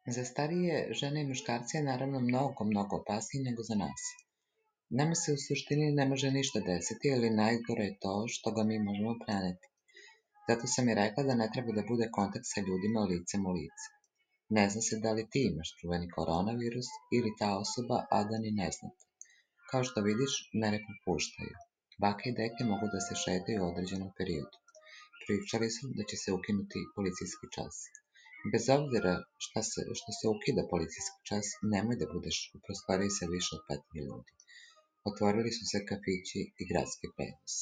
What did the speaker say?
Za starije žene i muškarce je naravno mnogo opasnije nego za nas. Nama se u suštini ne može ništa desiti, ali najgore je to što ga mi možemo preneti. Zato sam i rekla da ne treba da bude kontakt sa ljudima licem u lice. Ne zna se da li ti imaš čuveni koronavirus ili ta osoba, a da ni ne znate. Kao što vidiš, mere popuštaju. Bake i deke mogu da se šetaju u određenom periodu. Pričali su da će se ukinuti policijski čas. Bez obzira što se ukida policijski čas, nemoj da budeš u prostoriji sa više od 5 ljudi. Otvorili su se kafići i gradski prevoz.